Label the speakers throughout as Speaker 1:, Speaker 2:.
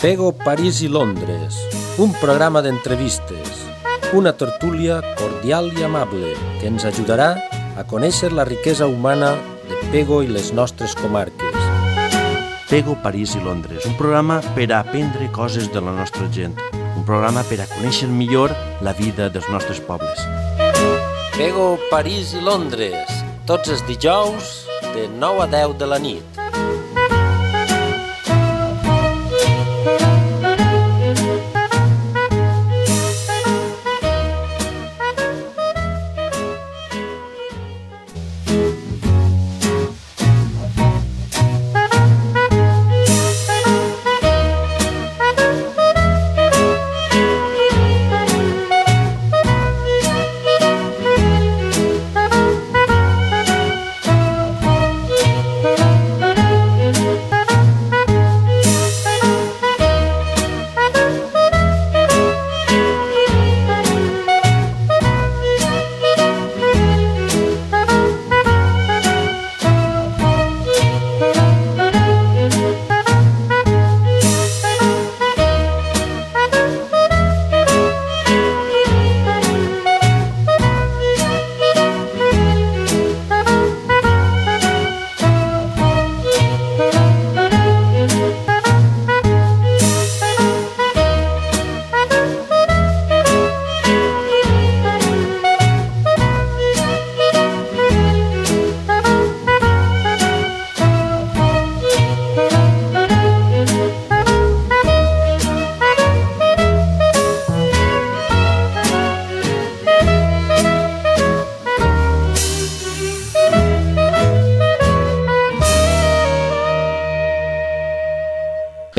Speaker 1: Pego, París i Londres, un programa d'entrevistes, una tertúlia cordial i amable que ens ajudarà a conèixer la riquesa humana de Pego i les nostres comarques.
Speaker 2: Pego, París i Londres, un programa per a aprendre coses de la nostra gent, un programa per a conèixer millor la vida dels nostres pobles.
Speaker 1: Pego, París i Londres, tots els dijous de 9 a 10 de la nit.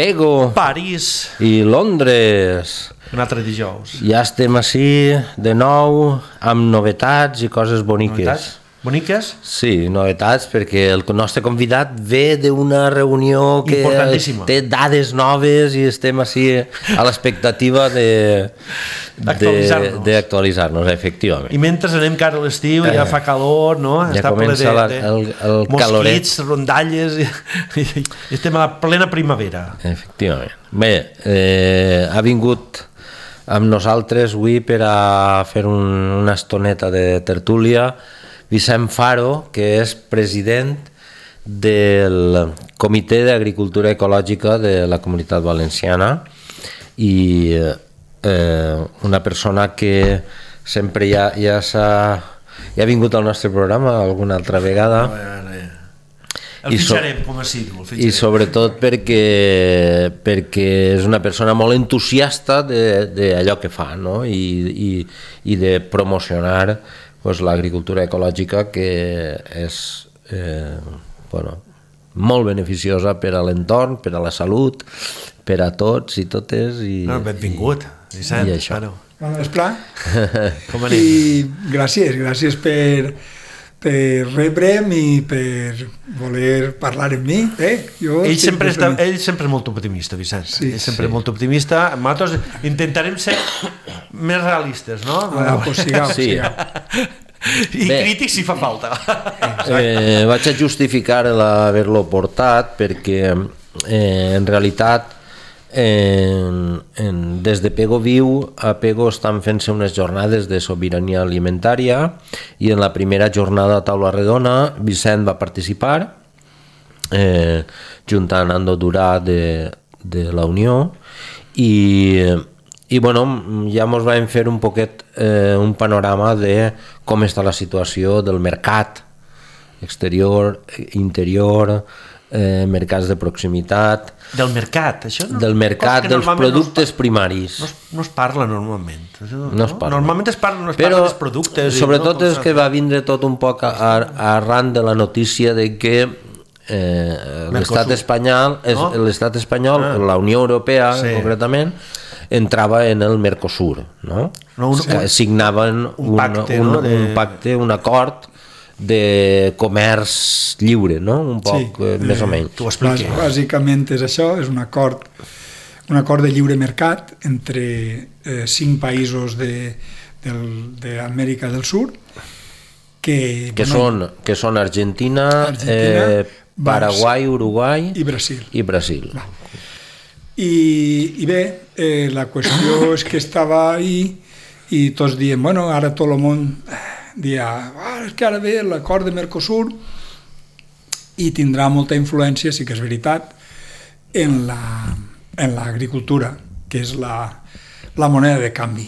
Speaker 1: Pego,
Speaker 2: París
Speaker 1: i Londres.
Speaker 2: un altre dijous.
Speaker 1: Ja estem ací de nou amb novetats i coses boniques.
Speaker 2: Novetats? Boniques?
Speaker 1: Sí, novetats, perquè el nostre convidat ve d'una reunió que
Speaker 2: importantíssima,
Speaker 1: té dades noves i estem ací a l'expectativa d'actualitzar-nos, efectivament.
Speaker 2: I mentre anem cara a l'estiu, ja fa calor, no?
Speaker 1: Ja
Speaker 2: està ple
Speaker 1: comença el caloret.
Speaker 2: Mosquits, rondalles, i estem a la plena primavera.
Speaker 1: Efectivament. Bé, ha vingut amb nosaltres avui per a fer una estoneta de tertúlia Vicent Faro, que és president del Comitè d'Agricultura Ecològica de la Comunitat Valenciana i una persona que sempre ja ha vingut al nostre programa alguna altra vegada.
Speaker 2: El fitxarem, com a símbol.
Speaker 1: I sobretot perquè és una persona molt entusiasta d'allò que fa, no? I de promocionar l'agricultura ecològica, que és molt beneficiosa per a l'entorn, per a la salut, per a tots i totes.
Speaker 2: Benvingut, Vicent.
Speaker 1: I això.
Speaker 3: Bon vespre.
Speaker 2: Com anem?
Speaker 3: I gràcies per rebre'm i per voler parlar amb mi.
Speaker 2: Ell sempre és molt optimista, Vicent.
Speaker 3: Sí,
Speaker 2: ell sempre és molt optimista. Nosaltres intentarem ser més realistes, no?
Speaker 1: Sigueu.
Speaker 2: I crítics si fa falta.
Speaker 1: Vaig a justificar l'haver-lo portat perquè en realitat des de Pego Viu a Pego estan fent-se unes jornades de sobirania alimentària i en la primera jornada a taula redona Vicent va participar junt amb Nando Durà de la Unió i bueno, ja ens vam fer un poquet un panorama de com està la situació del mercat exterior, interior, mercats de proximitat.
Speaker 2: Del mercat, això?
Speaker 1: Del mercat, dels productes primaris.
Speaker 2: No es parla normalment.
Speaker 1: No es parla.
Speaker 2: Normalment es parla dels productes.
Speaker 1: Sobretot és que va vindre tot un poc arran de la notícia de que l'estat espanyol, la Unió Europea concretament, entrava en el Mercosur, no? Signaven un pacte, un acord de comerç lliure, no? Un poc, més o menys.
Speaker 2: T'ho expliqui.
Speaker 3: Bàsicament és això, és un acord de lliure mercat entre 5 països d'Amèrica del Sud que
Speaker 1: són Argentina, Paraguai, Uruguai
Speaker 3: i Brasil. I bé, la qüestió és que estava ahí i tots dient, bueno, ara tot el món dia, és que ara ve l'acord de Mercosur i tindrà molta influència, sí que és veritat, en l'agricultura, que és la moneda de canvi.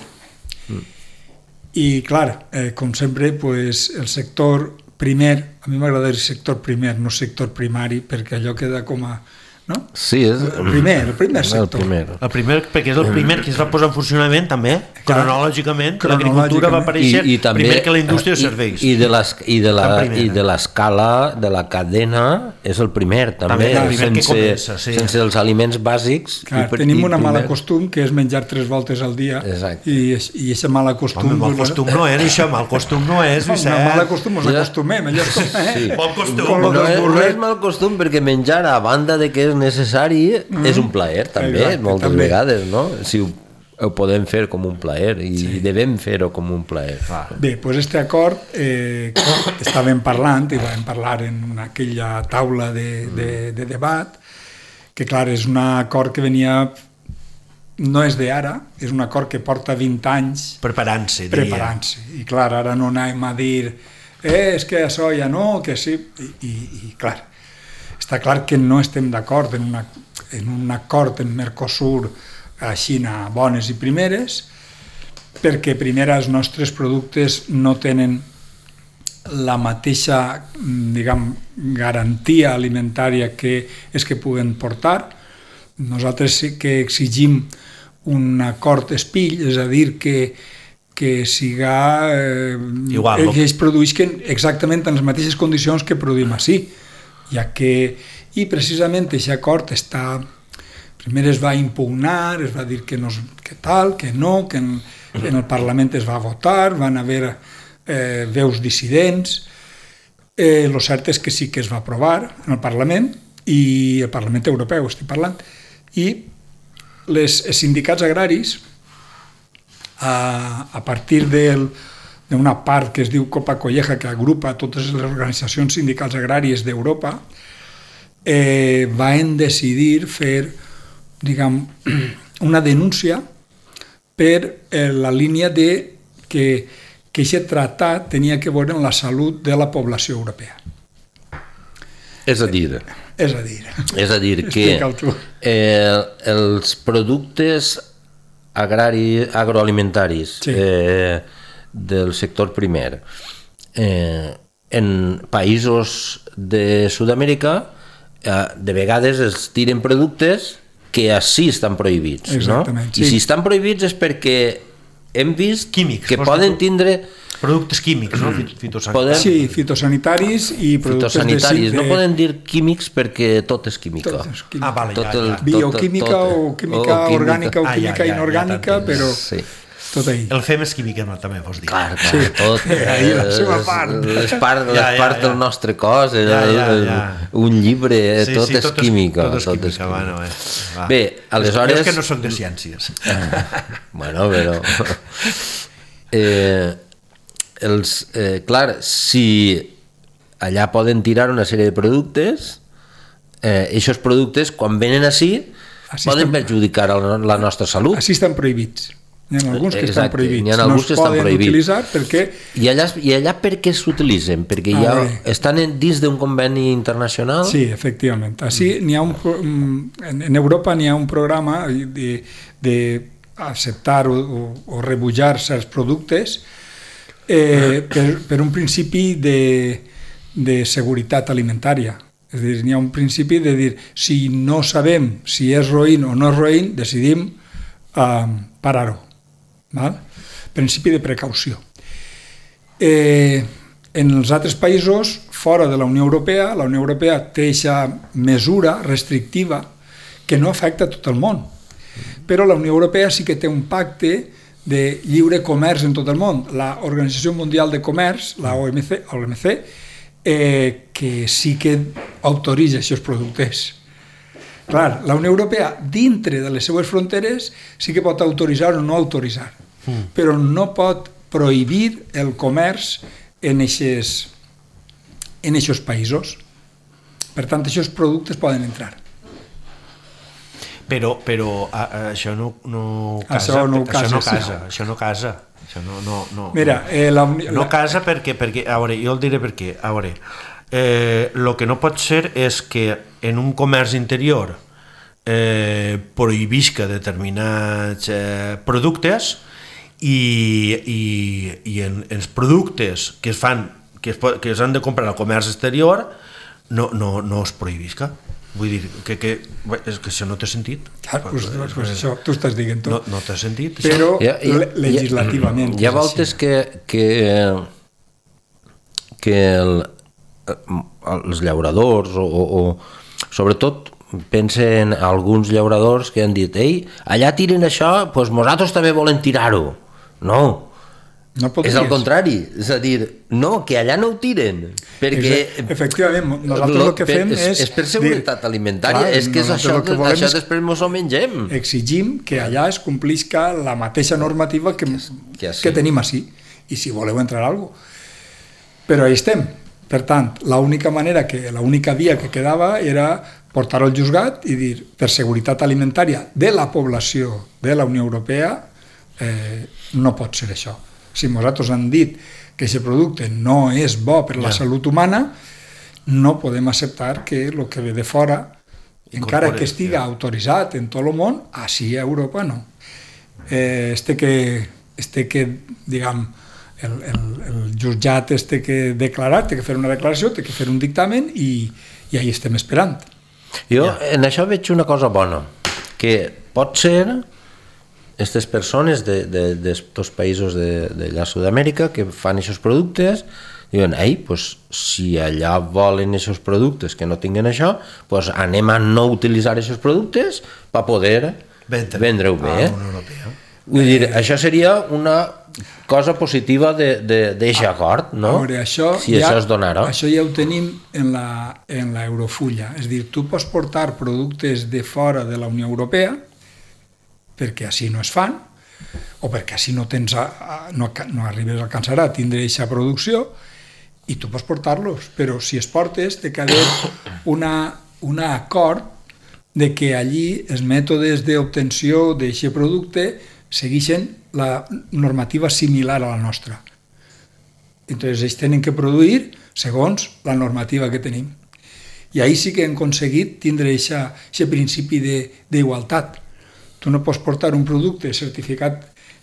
Speaker 3: I clar, com sempre, pues, el sector primer, a mi m'agrada dir sector primer, no sector primari, perquè allò queda com a... No?
Speaker 1: Sí, és
Speaker 3: el primer sector.
Speaker 2: El primer, perquè és el primer que es va posar en funcionament també, cronològicament, l'agricultura va aparèixer primer que la indústria de serveis.
Speaker 1: I de l'escala, de la cadena, és el primer també, sense els aliments bàsics.
Speaker 3: Clar, tenim una mala costum que és menjar 3 voltes al dia i aquest mal costum...
Speaker 2: Home, mal costum no és això, mal costum no és, Vicent.
Speaker 3: Una mala costum ens acostumem, allò és com...
Speaker 2: Bon costum.
Speaker 1: No és mal costum perquè menjar, a banda de que és necessari, és un plaer també, moltes vegades, no? Si ho podem fer com un plaer i devem fer-ho com un plaer.
Speaker 3: Bé, doncs aquest acord estàvem parlant i vam parlar en aquella taula de debat, que clar, és un acord que venia, no és d'ara, és un acord que porta 20 anys
Speaker 2: preparant-se.
Speaker 3: I clar, ara no anem a dir és que això ja no, que sí, i clar, està clar que no estem d'acord en un acord en Mercosur a Xina bones i primeres, perquè primera els nostres productes no tenen la mateixa, diguem, garantia alimentària que és que puguen portar. Nosaltres sí que exigim un acord espill, és a dir, que siga
Speaker 2: igual,
Speaker 3: que es produïsquen exactament en les mateixes condicions que produïm ací, ja que, i precisament aquest acord està, primer es va impugnar, es va dir que no, que tal, que no, que en el Parlament es va votar, van haver veus dissidents, el cert és que sí que es va aprovar en el Parlament, i el Parlament Europeu estic parlant, i els sindicats agraris, a partir d'una part que es diu Copa Colleja, que agrupa totes les organitzacions sindicals agràries d'Europa, van decidir fer, diguem, una denúncia per la línia de que aquest tractat tenia que veure amb la salut de la població europea.
Speaker 1: És a dir que els productes agroalimentaris del sector primer en països de Sud-amèrica de vegades es tiren productes que així estan prohibits, no? I si estan prohibits és perquè hem vist
Speaker 2: químics,
Speaker 1: que poden tindre
Speaker 2: productes químics, no? Fitosanitaris.
Speaker 3: Sí, fitosanitaris i productes
Speaker 1: fitosanitaris. No poden dir químics perquè tot és química.
Speaker 2: Vale,
Speaker 3: bioquímica o química orgànica o química inorgànica, però tot ahí.
Speaker 2: El fem és química, no, també vols dir.
Speaker 1: Clar, tot.
Speaker 3: La seva part.
Speaker 1: Les parts del nostre cos, un llibre, tot és química.
Speaker 2: Tot és química.
Speaker 1: Bé, aleshores...
Speaker 2: És que no soc de ciències.
Speaker 1: Bueno, però... clar, si allà poden tirar una sèrie de productes, aquests productes, quan venen així, poden perjudicar la nostra salut.
Speaker 3: Així estan prohibits. N'hi ha alguns que estan prohibits.
Speaker 1: N'hi ha alguns que estan prohibits.
Speaker 3: Utilitzar perquè...
Speaker 1: I allà per què s'utilitzen? Perquè ja estan dins d'un conveni internacional?
Speaker 3: Sí, efectivament. Així n'hi ha en Europa n'hi ha un programa d'acceptar o rebutjar certs productes per un principi de seguretat alimentària. És a dir, n'hi ha un principi de dir si no sabem si és roïn o no és roïn, decidim parar-ho. Principi de precaució. En els altres països, fora de la Unió Europea té aquesta mesura restrictiva que no afecta tot el món. Però la Unió Europea sí que té un pacte de lliure comerç en tot el món. L'Organització Mundial de Comerç, la OMC, que sí que autoritza aquests productes. Clar, la Unió Europea, dintre de les seues fronteres, sí que pot autoritzar o no autoritzar, però no pot prohibir el comerç en aquests països. Per tant, aquests productes poden entrar.
Speaker 2: Però això no casa.
Speaker 3: Això no casa.
Speaker 2: Això no casa. Això no.
Speaker 3: Mira,
Speaker 2: no casa perquè, a veure, jo el diré per què. A veure, el que no pot ser és que en un comerç interior prohibisca determinats productes i en els productes que es han de comprar al comerç exterior no es prohibisca. Vull dir que és que això no té sentit.
Speaker 3: Pues això tu estàs dient tot.
Speaker 2: No té sentit.
Speaker 3: Però legislativament.
Speaker 1: Hi ha voltes que els llauradors o sobretot pensen alguns llauradors que han dit allà tiren això, doncs nosaltres també volem tirar-ho. No és al contrari, és a dir, no, que allà no ho tiren, perquè
Speaker 3: efectivament, nosaltres el que fem
Speaker 1: és per seguretat alimentària, és que és això després ens ho mengem.
Speaker 3: Exigim que allà es complisca la mateixa normativa que tenim així, i si voleu entrar a alguna cosa. Però ahí estem. Per tant, l'única via que quedava era portar-ho al juzgat i dir, per seguretat alimentària de la població de la Unió Europea, no pot ser això. Si nosaltres han dit que aquest producte no és bo per la salut humana, no podem acceptar que el que ve de fora, encara que estiga autoritzat en tot el món, així a Europa no. Diguem, el jutjat que declarar, té que fer una declaració, té que fer un dictamen i ahí estem esperant.
Speaker 1: Jo en això veig una cosa bona, que pot ser aquestes persones d'estos països d'allà a Sud-amèrica que fan aquests productes, diuen, si allà volen aquests productes que no tinguin això, anem a no utilitzar aquests productes per poder vendre-ho bé. Vull dir, això seria una cosa positiva d'aquest acord, no? Si això es donara.
Speaker 3: Això ja ho tenim en l'Eurofulla, és a dir, tu pots portar productes de fora de la Unió Europea perquè així no es fan, o perquè així no arribes a alcançar a tindre aquesta producció, i tu pots portar-los, però si es portes té que haver un acord de que allí els mètodes d'obtenció d'aquest producte segueixen la normativa similar a la nostra. Entonces ells tenen que produir segons la normativa que tenim. I ahí sí que hem aconseguit tindre aquest principi d'igualtat. Tu no pots portar un producte certificat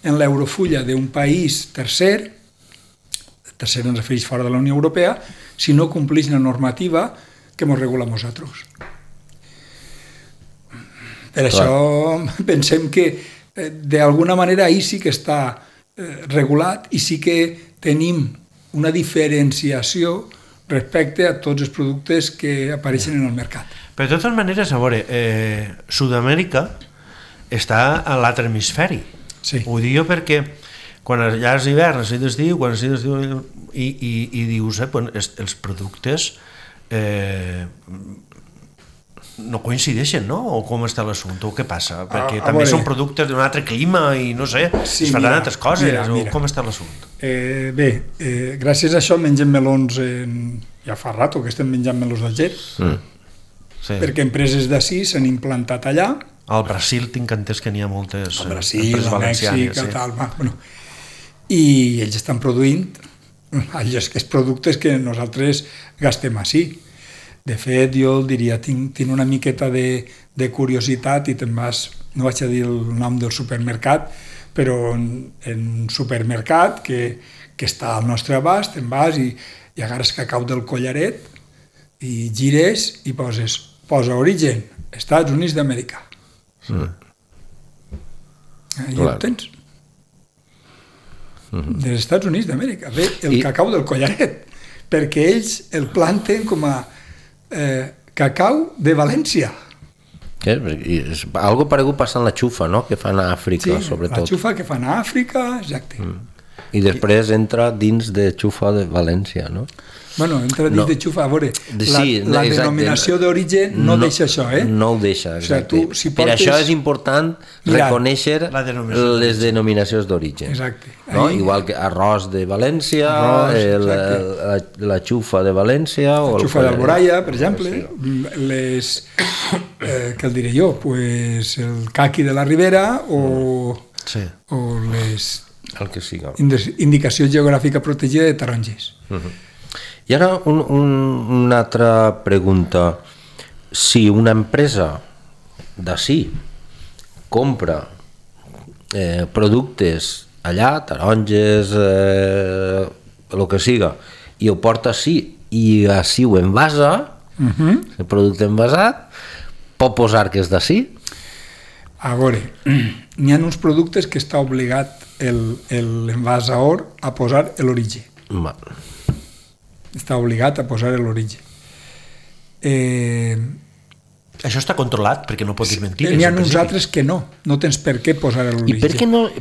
Speaker 3: en l'Eurofulla d'un país tercer ens refereix fora de la Unió Europea, si no compleix la normativa que ens regula a nosaltres. Per això pensem que d'alguna manera ahí sí que està regulat i sí que tenim una diferenciació respecte a tots els productes que apareixen en el mercat.
Speaker 2: Però de totes maneres, a veure, Sud-amèrica està a l'altre hemisferi.
Speaker 3: Sí.
Speaker 2: Ho dic jo perquè quan allà és hivern, així d'estiu, i dius, els productes no coincideixen, no? O com està l'assumpte, o què passa? Perquè també són productes d'un altre clima i no sé, es faran altres coses, o com està l'assumpte?
Speaker 3: Bé, gràcies a això mengem melons, ja fa rato que estem menjant melons d'Alger, perquè empreses d'ací s'han implantat allà.
Speaker 2: Al Brasil tinc entès que n'hi ha moltes
Speaker 3: empreses valencianes. Al Mèxic, tal, i ells estan produint aquests productes que nosaltres gastem així. De fet, jo el diria, tinc una miqueta de curiositat i te'n vas, no vaig a dir el nom del supermercat, però en un supermercat que està al nostre abast, te'n vas i agarres cacau del collaret i gires i posa origen, Estats Units d'Amèrica. I ho tens. Dels Estats Units d'Amèrica. Ve el cacau del collaret, perquè ells el planten com a cacau de València.
Speaker 1: Algo paregut passa en la xufa, no?, que fan a Àfrica, sobretot.
Speaker 3: La xufa que fan a Àfrica, exacte.
Speaker 1: I després entra dins de Xufa de València, no?
Speaker 3: Bueno, entra dins de Xufa, a veure, la denominació d'origen no deixa això,
Speaker 1: No ho deixa, exacte.
Speaker 3: O sigui,
Speaker 1: per això és important reconèixer les denominacions d'origen.
Speaker 3: Exacte.
Speaker 1: No? Igual que arròs de València, la xufa de València...
Speaker 3: La xufa d'Alboraya, per exemple, què el diré jo? Pues el caqui de la Ribera o les...
Speaker 1: El que siga.
Speaker 3: Indicació geogràfica protegida de taronges.
Speaker 1: I ara una altra pregunta. Si una empresa d'ací compra productes allà, taronges, el que siga, i ho porta ací i ací ho envasa, el producte envasat, pot posar que és d'ací?
Speaker 3: A veure, n'hi ha uns productes que està obligat l'envasador a posar l'origen. Està obligat a posar l'origen.
Speaker 2: Això està controlat, perquè no pots dir mentides.
Speaker 3: N'hi ha uns altres que no tens per què posar l'origen.
Speaker 1: I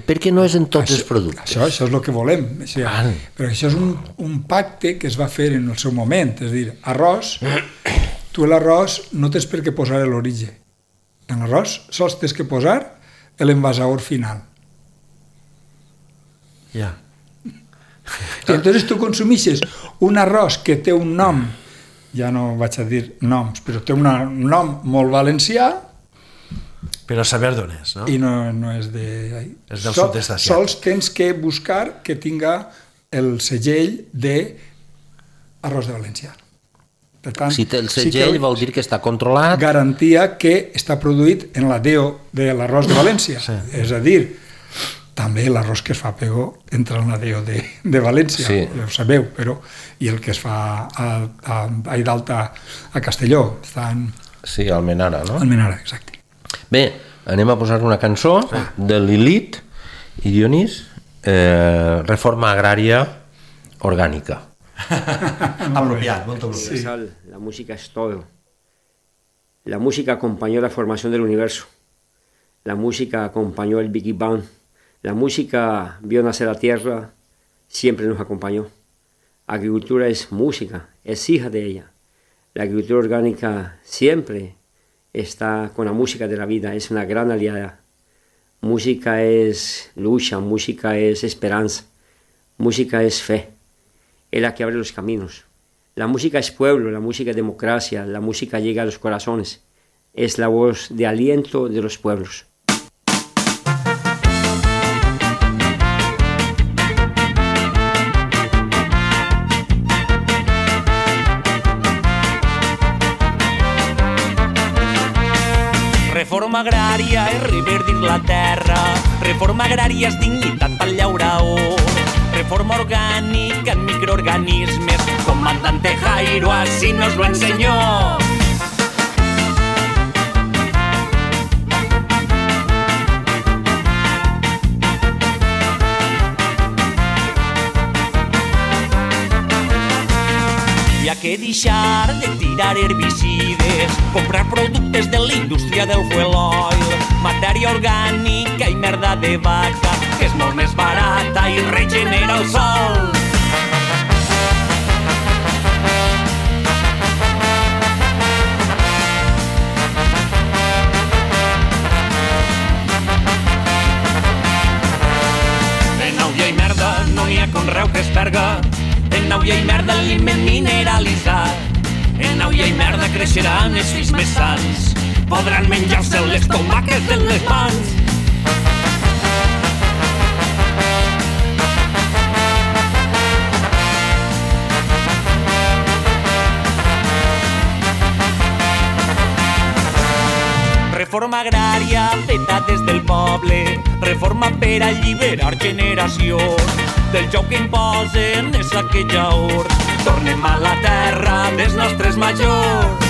Speaker 1: per què no és en tots els productes?
Speaker 3: Això és el que volem. Però això és un pacte que es va fer en el seu moment. És a dir, arròs, tu l'arròs no tens per què posar l'origen. En l'arròs sols tens que posar l'envasador final.
Speaker 2: Ja.
Speaker 3: I entonces tu consumixes un arròs que té un nom, ja no vaig a dir noms, però té un nom molt valencià,
Speaker 2: però saber d'on és, no?
Speaker 3: I no és de...
Speaker 2: És del sud-est asiàtic.
Speaker 3: Sols tens que buscar que tinga el segell de arròs de València. Per tant,
Speaker 1: si té el segell vol dir que està controlat.
Speaker 3: Garantia que està produït en la DEO de l'arròs de València. Sí. És a dir, també l'arròs que es fa a Pego entra en la DEO de València, sí. Ja ho sabeu, però i el que es fa a Aidalta a Castelló està en...
Speaker 1: Sí, a Almenara, no?
Speaker 3: Almenara, exacte.
Speaker 1: Bé, anem a posar una cançó de Lilith i Dionís, Reforma Agrària Orgànica.
Speaker 2: Apropiat, molt apropiat.
Speaker 4: Sí. La música es todo. La música acompañó la formación del universo. La música acompañó el Big Bang. La música vio nacer la tierra, siempre nos acompañó. Agricultura es música, es hija de ella. La agricultura orgánica siempre está con la música de la vida, es una gran aliada. Música es lucha, música es esperanza, música es fe. Es la que abre los caminos. La música es pueblo, la música es democracia, la música llega a los corazones. Es la voz de aliento de los pueblos.
Speaker 5: Reforma agrària és reverdir la terra, reforma agrària és dignitat pel llaurador, reforma orgànica en microorganismes, comandante Jairo así nos lo enseñó. Hi ha que deixar de tirar herbicides, comprar productes de la indústria del fuel oil, matèria orgànica i merda de vaca, que és molt més barata i regenera el sol. En Auia i merda no n'hi ha conreu que es perga, en Auia i merda aliment mineralitzat. En Auia i merda creixeran els fills més sants, podran menjar-se les tomaques de les mans. Reforma agrària feta des del poble, reforma per alliberar generacions. Del joc que imposen és aquella or, tornem a la terra dels nostres majors.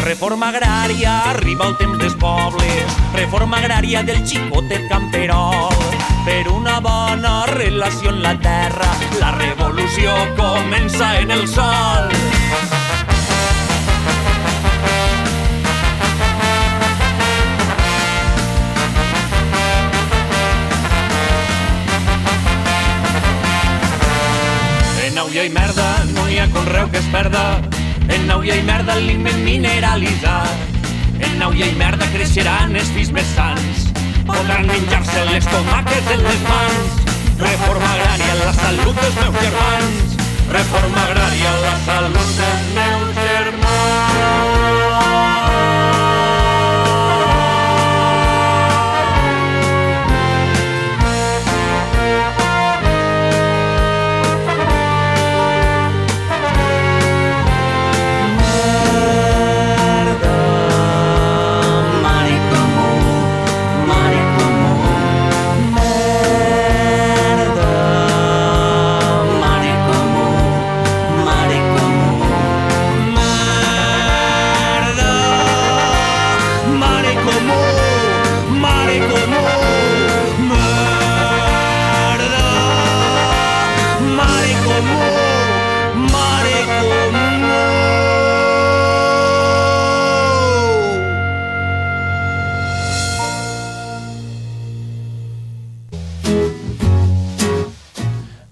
Speaker 5: Reforma agrària, arriba el temps dels pobles, reforma agrària del xicotet camperol, per una bona relació en la terra. La revolució comença en el sol. En Nauia i merda no hi ha conreu que es perda. En Nauia i merda l'aliment mineralitzat. En Nauia i merda creixeran els fills més sants. Podran menjar-se les tomàquets en les mans. Reforma agrària, la salut dels meus germans. Reforma agrària, la salut dels meus germans.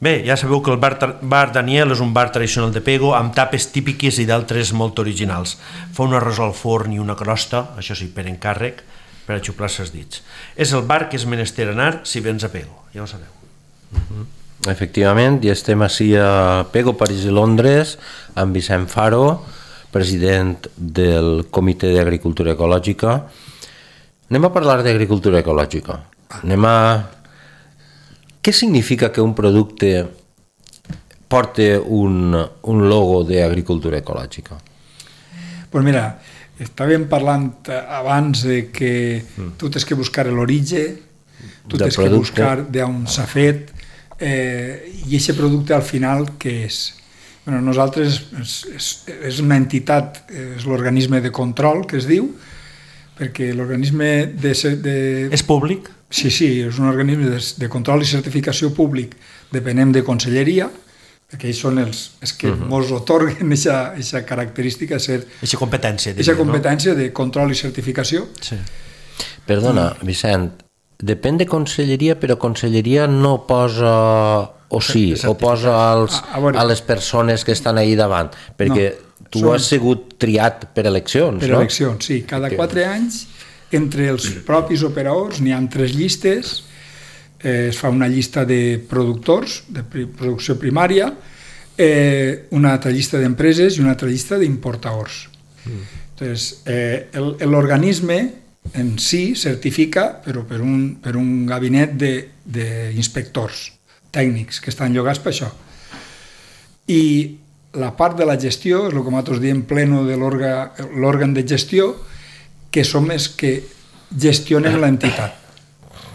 Speaker 2: Bé, ja sabeu que el bar Daniel és un bar tradicional de Pego amb tapes típiques i d'altres molt originals. Fa un arròs al forn i una crosta, això sí, per encàrrec, per a xuplar-se els dits. És el bar que és menester anar si vens a Pego, ja ho sabeu.
Speaker 1: Efectivament, i estem així a Pego, París i Londres, amb Vicent Faro, president del Comitè d'Agricultura Ecològica. Anem a parlar d'agricultura ecològica. Què significa que un producte porti un logo d'agricultura ecològica?
Speaker 3: Pues mira, estàvem parlant abans de que tu tens que buscar l'origen, tu tens que buscar d'on s'ha fet, i aquest producte al final què és? Bueno, nosaltres és una entitat, és l'organisme de control que es diu, perquè l'organisme de...
Speaker 2: És públic?
Speaker 3: Sí, és un organisme de control i certificació públic, depenem de conselleria, perquè ells són els que ens otorguen aquesta característica,
Speaker 2: aquesta competència.
Speaker 3: Aquesta competència de control i certificació.
Speaker 1: Sí. Perdona, Vicent, depèn de conselleria, però conselleria no posa... o sí, o posa a les persones que estan ahí davant, perquè tu has sigut triat per eleccions, no?
Speaker 3: Per eleccions, sí. Cada 4 anys, entre els propis operadors, n'hi ha 3 llistes, es fa una llista de productors, de producció primària, una altra llista d'empreses i una altra llista d'importadors. Entonces, l'organisme en si certifica, però per un gabinet d'inspectors tècnics que estan llogats per això. I la part de la gestió, és el que nosaltres diem pleno de l'òrgan de gestió, que som els que gestionen l'entitat.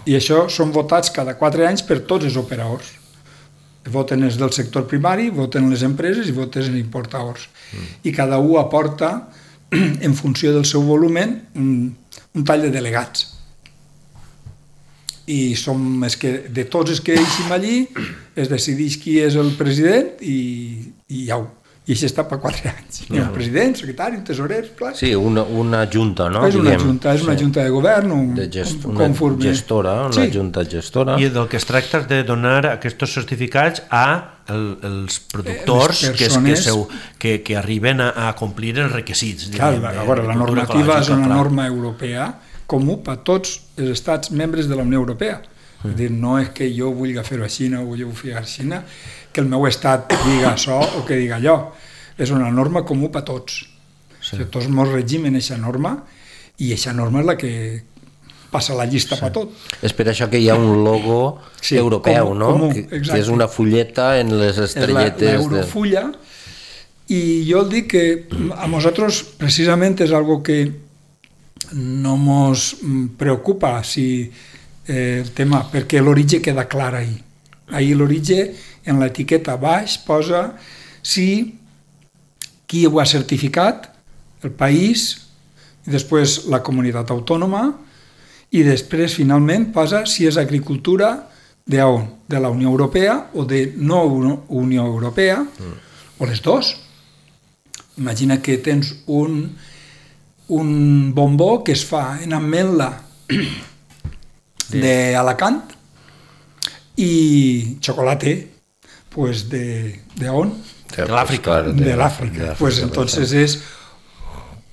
Speaker 3: I això són votats cada 4 anys per tots els operadors. Voten els del sector primari, voten les empreses i voten els importadors. I cada un aporta, en funció del seu volumen, un tall de delegats. I som de tots els que deixem allí, es decideix qui és el president i ja ho. I això està per 4 anys. Hi ha un president, secretari, un tesorer, clar.
Speaker 1: Sí, una junta, no?
Speaker 3: És una junta de govern,
Speaker 1: una gestora, una junta gestora.
Speaker 2: I del que es tracta és de donar aquests certificats als productors que arriben a complir els requisits.
Speaker 3: Clar, la normativa és una norma europea comú per tots els estats membres de la Unió Europea. És dir, no és que jo vulgui fer-ho així o vull fer així, que el meu estat diga això o que diga allò. És una norma comú per tots. Tots ens regimen aquesta norma i aquesta norma és la que passa la llista per tot.
Speaker 1: És per això que hi ha un logo europeu, no? Que és una fulleta en les estrelletes.
Speaker 3: És l'eurofulla, i jo el dic que a nosaltres precisament és algo que no ens preocupa el tema, perquè l'origen queda clar ahí. Ahí l'origen, en l'etiqueta baix, posa qui ho ha certificat, el país, i després la comunitat autònoma, i després, finalment, posa si és agricultura d'on? De la Unió Europea o de no Unió Europea, o les dos. Imagina que tens un bombó que es fa en ametla d'Alacant i xocolate, pues de on?
Speaker 2: De l'Àfrica.
Speaker 3: De l'Àfrica. Pues entonces és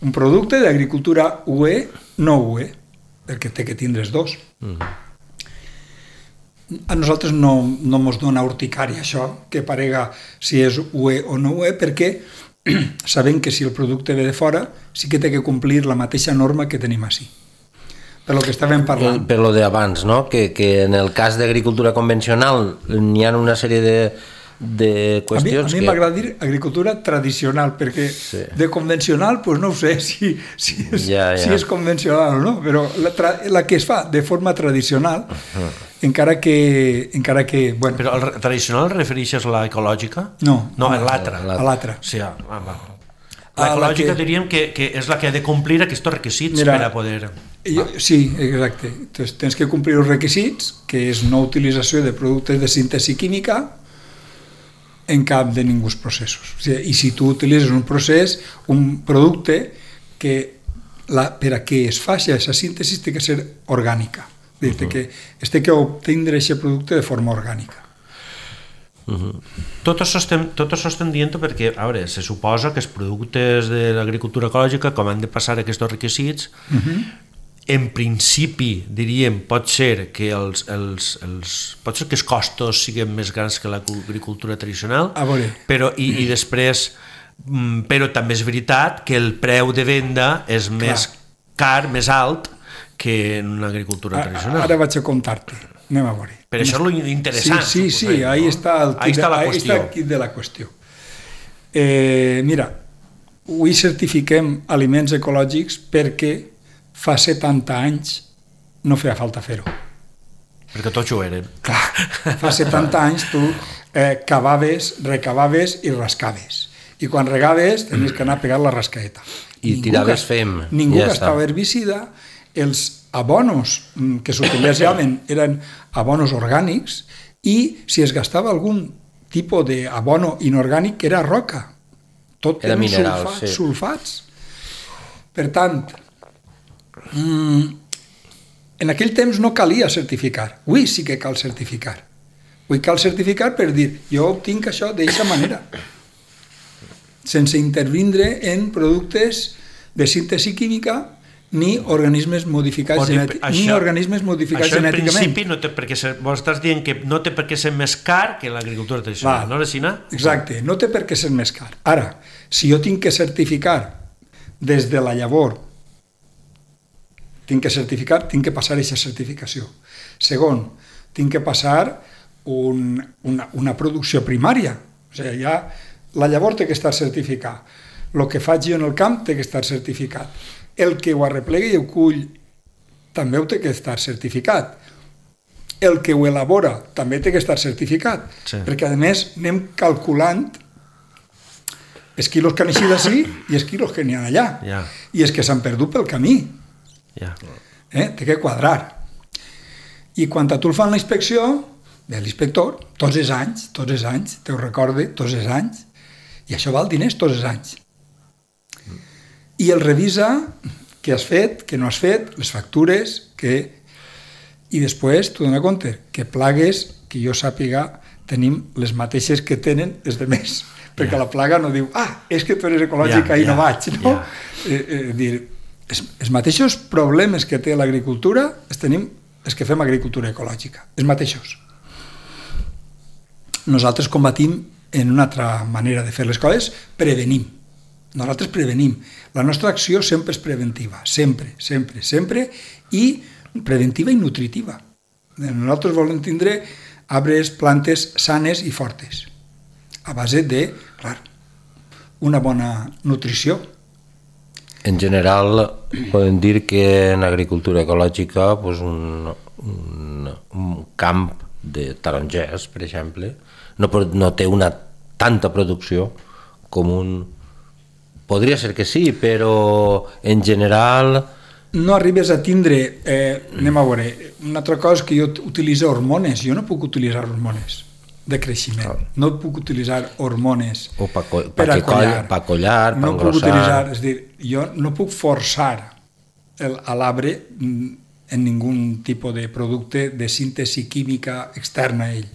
Speaker 3: un producte d'agricultura UE, no UE, perquè té que tindre's dos. A nosaltres no mos dona urticària això, que parega si és UE o no UE, perquè sabem que si el producte ve de fora sí que té que complir la mateixa norma que tenim així. Per lo que estàvem parlant.
Speaker 1: Per lo d'abans, no? Que en el cas d'agricultura convencional n'hi ha una sèrie de qüestions
Speaker 3: a mi m'agrada dir agricultura tradicional, perquè de convencional pues no ho sé si és convencional o no, però la que es fa de forma tradicional, encara que bueno.
Speaker 2: Però el tradicional refereixes a l'ecològica?
Speaker 3: No,
Speaker 2: a l'altra.
Speaker 3: A l'altra.
Speaker 2: Sí, l'ecològica diríem que és la que ha de complir aquests requisits per a poder...
Speaker 3: Sí, exacte. Entonces, tens que complir els requisits, que és no utilització de productes de síntesi química en cap de ninguns processos. O sigui, i si tu utilitzes un procés, un producte que per a què es faci aquesta síntesi té que ser orgànica. Que es té que obtindre aquest producte de forma orgànica.
Speaker 2: Tot això estem dient perquè, a veure, se suposa que els productes de l'agricultura ecològica, com han de passar aquests requisits, en principi, diríem, pot ser que els costos siguin més grans que l'agricultura tradicional, però també és veritat que el preu de venda és més car, més alt, que en una agricultura tradicional.
Speaker 3: Ara vaig a contar-te, anem a veure.
Speaker 2: Per això és l'interessant.
Speaker 3: Sí, ahí està el kit de la qüestió. Mira, avui certifiquem aliments ecològics perquè fa 70 anys no feia falta fer-ho.
Speaker 2: Perquè tots ho eren.
Speaker 3: Clar, fa 70 anys tu cavaves, recavaves i rascaves. I quan regaves tenies que anar a pegar la rascaeta.
Speaker 1: I tiraves fem.
Speaker 3: Ningú gastava herbicida, els abonos que s'utilitzaven eren abonos orgànics i si es gastava algun tipus d'abono inorgànic era roca. Tot eren sulfats. Per tant, en aquell temps no calia certificar. Avui sí que cal certificar. Avui cal certificar per dir jo obtinc això d'aquesta manera, sense intervindre en productes de síntesi química ni organismes modificats genèticament.
Speaker 2: Això en principi no té per què ser, vos estàs dient que no té per què ser més car que l'agricultura tradicional, no, Resina?
Speaker 3: Exacte, no té per què ser més car. Ara, si jo tinc que certificar des de la llavor, tinc que passar aquesta certificació. Segon, tinc que passar una producció primària. O sigui, ja la llavor té que estar certificat. El que faig jo en el camp té que estar certificat. El que ho arreplega i ho cull també ho té que estar certificat. El que ho elabora també té que estar certificat. Sí. Perquè, a més, anem calculant els quilos que han eixit d'ací i els quilos que n'hi ha allà. Yeah. I els que s'han perdut pel camí. Yeah. Té que quadrar. I quan a tu el fan la inspecció, ve l'inspector, tots els anys, te ho recorde, tots els anys, i això val diners tots els anys. I el revisa què has fet, què no has fet, les factures, i després t'ho dona compte que plagues, que jo sàpiga, tenim les mateixes que tenen els de més, perquè la plaga no diu és que tu eres ecològica i no vaig, no? Els mateixos problemes que té l'agricultura els tenim els que fem agricultura ecològica, els mateixos. Nosaltres combatim en una altra manera de fer les coses, prevenim. Nosaltres prevenim. La nostra acció sempre és preventiva, sempre, i preventiva i nutritiva. Nosaltres volem tindre arbres, plantes sanes i fortes, a base de, clar, una bona nutrició.
Speaker 1: En general, podem dir que en agricultura ecològica un camp de tarongers, per exemple, no té tanta producció com un... Podria ser que sí, però en general
Speaker 3: no arribes a tindre, anem a veure, una altra cosa és que jo utilitzo hormones, jo no puc utilitzar hormones de creixement, no puc utilitzar hormones
Speaker 1: per acollar, per
Speaker 3: no puc
Speaker 1: engrossar.
Speaker 3: utilitzar, és dir, jo no puc forçar a l'arbre en ningun tipus de producte de síntesi química externa a ell.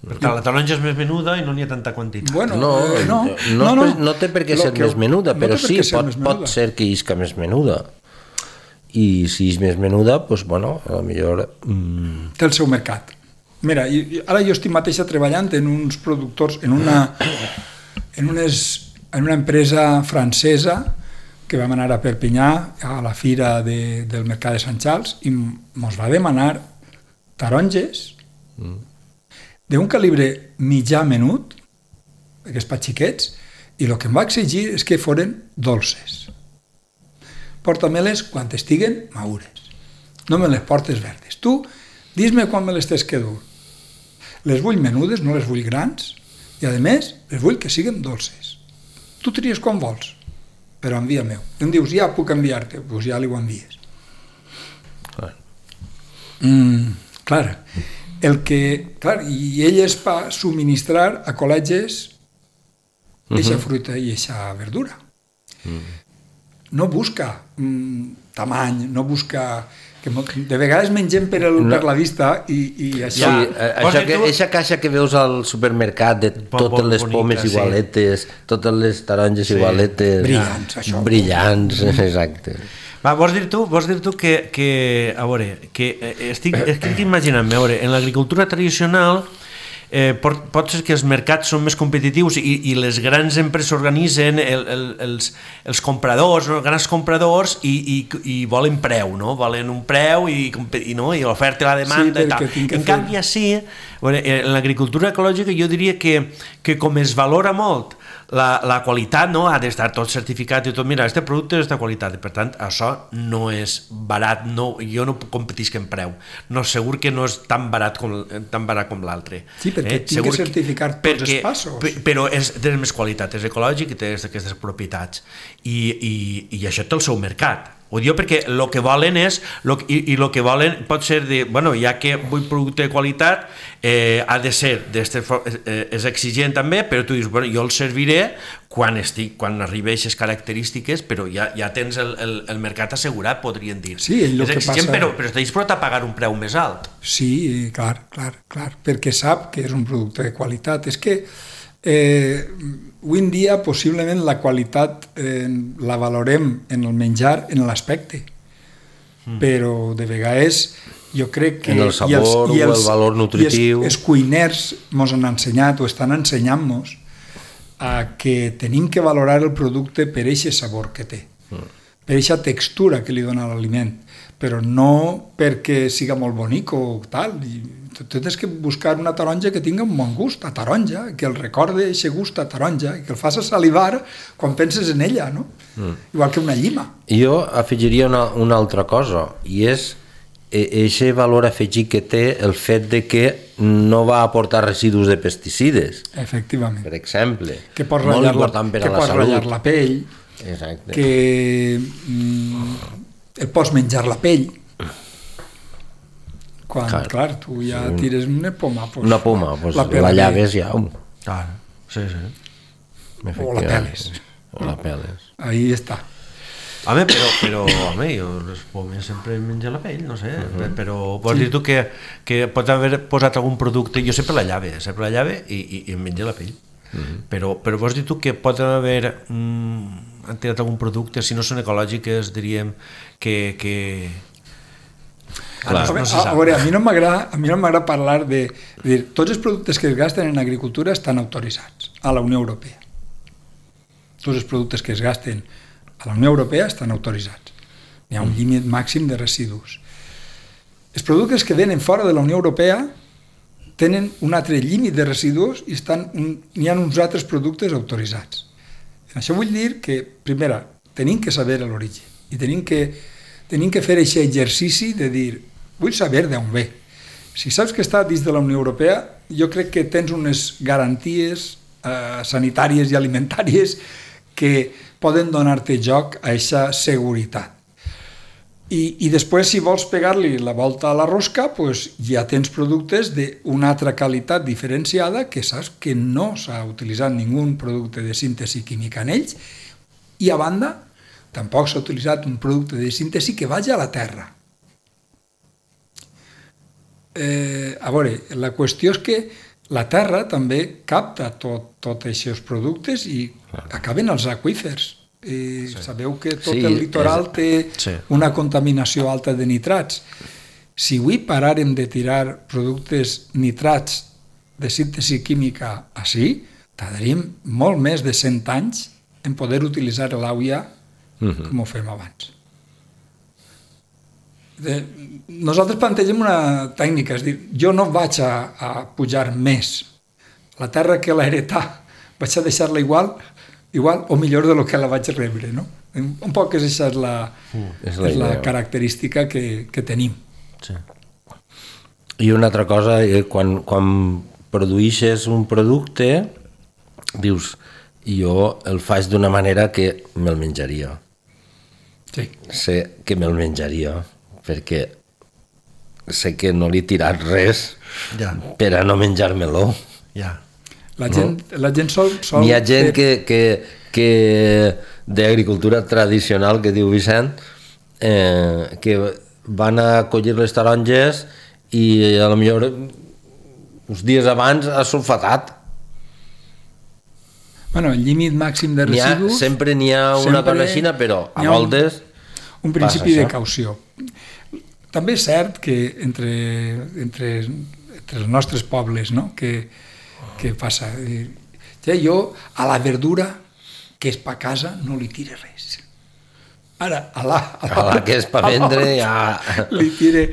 Speaker 2: Per tant, la taronja és més menuda i no n'hi ha tanta quantitat.
Speaker 3: Bueno,
Speaker 1: no té per què ser més menuda, però sí, pot ser que isca més menuda. I si és més menuda, doncs, bueno, a lo millor...
Speaker 3: Té el seu mercat. Mira, ara jo estic mateixa treballant en uns productors, en una empresa francesa que vam anar a Perpinyà a la fira del mercat de Sant Charles i ens va demanar taronges d'un calibre mitjà menut, aquests pa xiquets, i el que em va exigir és que foren dolces. Porta-me-les quan estiguen madures. No me les portes verdes. Tu, dis-me quan me les tens que dur. Les vull menudes, no les vull grans, i a més, les vull que siguin dolces. Tu tries quan vols, però envia-m'ho. Em dius, ja puc enviar-te, doncs ja li ho envies. Clar, i ell es va subministrar a col·legis eixa fruita i eixa verdura. No busca tamany, no busca... De vegades mengem per la vista i això...
Speaker 1: Sí, eixa caixa que veus al supermercat de totes les pomes igualetes, totes les taronges igualetes...
Speaker 3: Brillants, això.
Speaker 1: Brillants, exacte.
Speaker 2: Va, vols dir tu que a veure, que estic imaginant-me, a veure, en l'agricultura tradicional pot ser que els mercats són més competitius i les grans empreses organitzen els compradors, els grans compradors i volen preu, no? Volen un preu i l'oferta i la demanda i tal. En canvi, així, en l'agricultura ecològica jo diria que com es valora molt la qualitat, no? Ha d'estar tot certificat i tot, mira, aquest producte és de qualitat i per tant això no és barat, jo no competisc en preu, no, segur que no és tan barat com l'altre.
Speaker 3: Sí, perquè tinc que certificar tots els passos.
Speaker 2: Però té més qualitat, és ecològic i té aquestes propietats i això té el seu mercat. Ho diu perquè el que volen és, i el que volen pot ser de, bueno, ja que vull producte de qualitat, ha de ser, és exigent també, però tu dius, bueno, jo el serviré quan arribi a aquestes característiques, però ja tens el mercat assegurat, podrien dir.
Speaker 3: Sí,
Speaker 2: és exigent, però està disposat a pagar un preu més alt.
Speaker 3: Sí, clar, perquè sap que és un producte de qualitat. És que avui en dia possiblement la qualitat la valorem en el menjar, en l'aspecte, però de vegades jo crec que
Speaker 1: en el sabor o el valor nutritiu
Speaker 3: els cuiners ens han ensenyat o estan ensenyant-nos a que tenim que valorar el producte per aquest sabor que té, per aquesta textura que li dona l'aliment, però no perquè siga molt bonic o tal. Tu tens que buscar una taronja que tingui un bon gust a taronja, que el recorde aquest gust a taronja, que el faci salivar quan penses en ella, no? Igual que una llima.
Speaker 1: Jo afegiria una altra cosa, i és aquest valor afegit que té el fet de que no va aportar residus de pesticides.
Speaker 3: Efectivament.
Speaker 1: Per exemple.
Speaker 3: Que pots ratllar la pell,
Speaker 1: exacte.
Speaker 3: Que et pots menjar la pell. Quan, clar, tu ja tires una poma.
Speaker 1: Una poma, la llaves ja.
Speaker 2: Clar, sí.
Speaker 3: O la peles. Ahí està.
Speaker 2: Home, però home, jo les pomes sempre menjo la pell, no sé, però vols dir tu que pots haver posat algun producte, jo sempre la llave i em menjo la pell, però vols dir tu que pot haver han tirat algun producte, si no són ecològiques, diríem que
Speaker 3: no se sap. A veure, a mi no m'agrada parlar de dir, tots els productes que es gasten en agricultura estan autoritzats a la Unió Europea. Tots els productes que es gasten a la Unió Europea estan autoritzats. Hi ha un límit màxim de residus. Els productes que venen fora de la Unió Europea tenen un altre límit de residus i hi ha uns altres productes autoritzats. Això vull dir que, primera, tenim que saber l'origen i tenim que fer aquest exercici de dir, vull saber d'on ve. Si saps que està dins de la Unió Europea, jo crec que tens unes garanties sanitàries i alimentàries que poden donar-te joc a aquesta seguretat. I després, si vols pegar-li la volta a la rosca, pues ja tens productes d'una altra qualitat diferenciada que saps que no s'ha utilitzat ningú producte de síntesi química en ells, i a banda tampoc s'ha utilitzat un producte de síntesi que vagi a la terra. A veure, la qüestió és que la terra també capta tots aquests productes i acaben als aqüífers. Sabeu que tot el litoral té una contaminació alta de nitrats. Si avui paràrem de tirar productes nitrats de síntesi química així, tardaríem molt més de 100 anys en poder utilitzar l'aigua com ho fem abans. Nosaltres plantegem una tècnica, és dir, jo no vaig a pujar més. La terra que l'he heretat vaig a deixar-la igual o millor de lo que la vaig rebre, no? Un poc aquesta és la característica que tenim.
Speaker 1: Sí. I una altra cosa, quan produeixes un producte, dius, jo el faig d'una manera que me'l menjaria.
Speaker 3: Sí.
Speaker 1: Sé que me'l menjaria, perquè sé que no li he tirat res per a no menjar-me-lo.
Speaker 3: La gent sol...
Speaker 1: Hi ha gent que d'agricultura tradicional, que diu Vicent, que van a collir les taronges i a lo millor uns dies abans ha sulfatat.
Speaker 3: Bueno, el límit màxim de residus...
Speaker 1: Sempre n'hi ha una cosa així, però a voltes...
Speaker 3: Un principi de caució. També és cert que entre els nostres pobles, no?, que passa? Jo a la verdura que és per casa no li tire res. Ara, a la
Speaker 1: que és per vendre ja...
Speaker 3: li tire...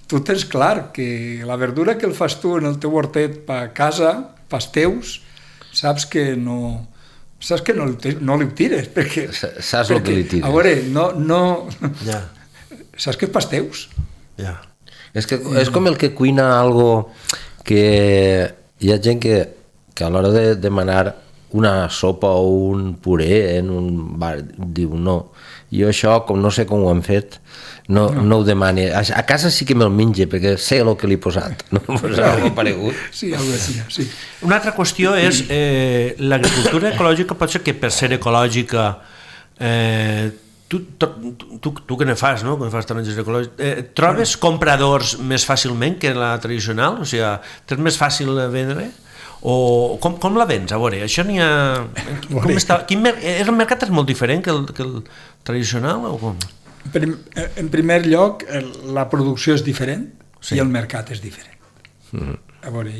Speaker 3: Tu tens clar que la verdura que el fas tu en el teu hortet per casa, pels teus, saps que no li tires, perquè...
Speaker 1: Saps el que li tires.
Speaker 3: A veure, no... Saps que és pels teus.
Speaker 1: És com el que cuina algo que hi ha gent que a l'hora de demanar una sopa o un puré en un bar diu no, jo això com no sé com ho han fet no ho demane, a casa sí que me'l menja perquè sé el que li he posat, no m'ho ha paregut.
Speaker 3: Sí, sí.
Speaker 2: Una altra qüestió és l'agricultura ecològica pot ser que per ser ecològica tu que ne fas, no? Que fas taronges ecològiques, trobes compradors més fàcilment que la tradicional? O sigui, és més fàcil vendre? O com la vens? A veure, això n'hi ha... El mercat és molt diferent que el tradicional o com?
Speaker 3: En primer lloc, la producció és diferent i el mercat és diferent. A veure,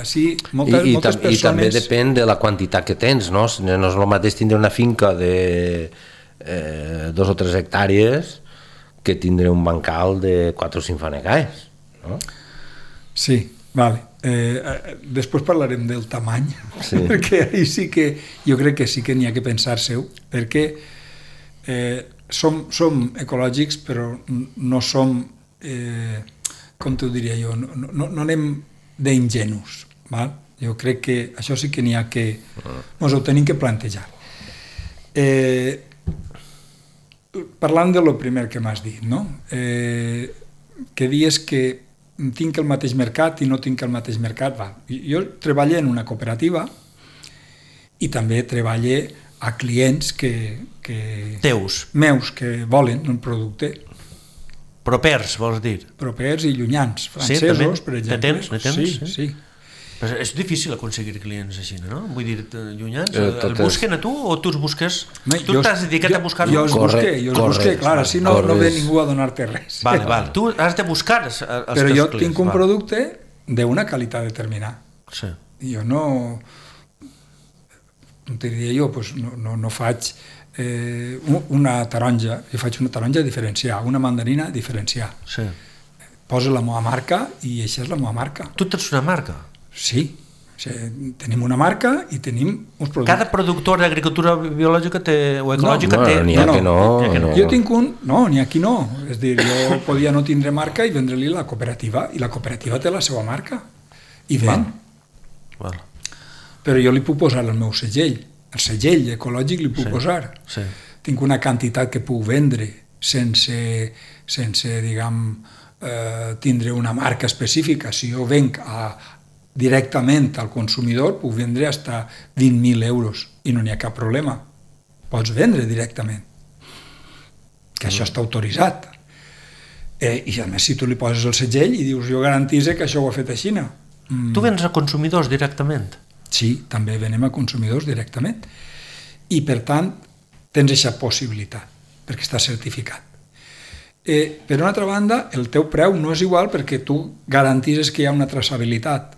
Speaker 3: així moltes persones...
Speaker 1: I també depèn de la quantitat que tens, no? No és el mateix tindre una finca de 2 o 3 hectàrees que tindre un bancal de 4 o 5 fanegaes, no? Sí,
Speaker 3: vale. Després parlarem del tamany, perquè ahí sí que jo crec que sí que n'hi ha que pensar-se-ho, perquè som ecològics però no som, com t'ho diria jo, no anem d'ingenus, val? Jo crec que això sí que n'hi ha que ens ho tenim que plantejar. Parlant de lo primer que m'has dit, no? Que dius que tinc el mateix mercat i no tinc el mateix mercat. Jo treballo en una cooperativa i també treballo a clients meus que volen un producte.
Speaker 2: Propers, vols dir?
Speaker 3: Propers i llunyans, francesos, per exemple.
Speaker 2: Ne tens?
Speaker 3: Sí.
Speaker 2: Però és difícil aconseguir clients així, no? Vull dir, llunyans, el busquen a tu o tu els busques? Tu t'has dedicat a buscar-lo?
Speaker 3: Jo els busque, clar, així no ve ningú a donar-te res.
Speaker 2: Vale, tu has de buscar els clients.
Speaker 3: Però jo tinc un producte d'una qualitat determinada. Jo no diria jo, no faig una taronja, jo faig una taronja diferenciada, una mandarina diferenciada. Posa la meva marca i això és la meva marca.
Speaker 2: Tu tens una marca?
Speaker 3: Sí, tenim una marca i tenim uns productes.
Speaker 2: Cada productor d'agricultura biològica o ecològica té...
Speaker 1: N'hi ha que no.
Speaker 3: Jo tinc un... No, n'hi ha qui no. És dir, jo podia no tindre marca i vendre-li la cooperativa, i la cooperativa té la seva marca. I ven. Però jo li puc posar el meu segell. El segell ecològic li puc posar. tinc una quantitat que puc vendre sense diguem, tindre una marca específica. Si jo venc directament al consumidor, puc vendre fins a 20.000 euros i no n'hi ha cap problema. Pots vendre directament, que això està autoritzat. I a més, si tu li poses el segell i dius jo garantise que això ho ha fet a Xina.
Speaker 2: Tu vens a consumidors directament?
Speaker 3: Sí, també venem a consumidors directament. I, per tant, tens aquesta possibilitat, perquè està certificat. Per una altra banda, el teu preu no és igual perquè tu garantises que hi ha una traçabilitat.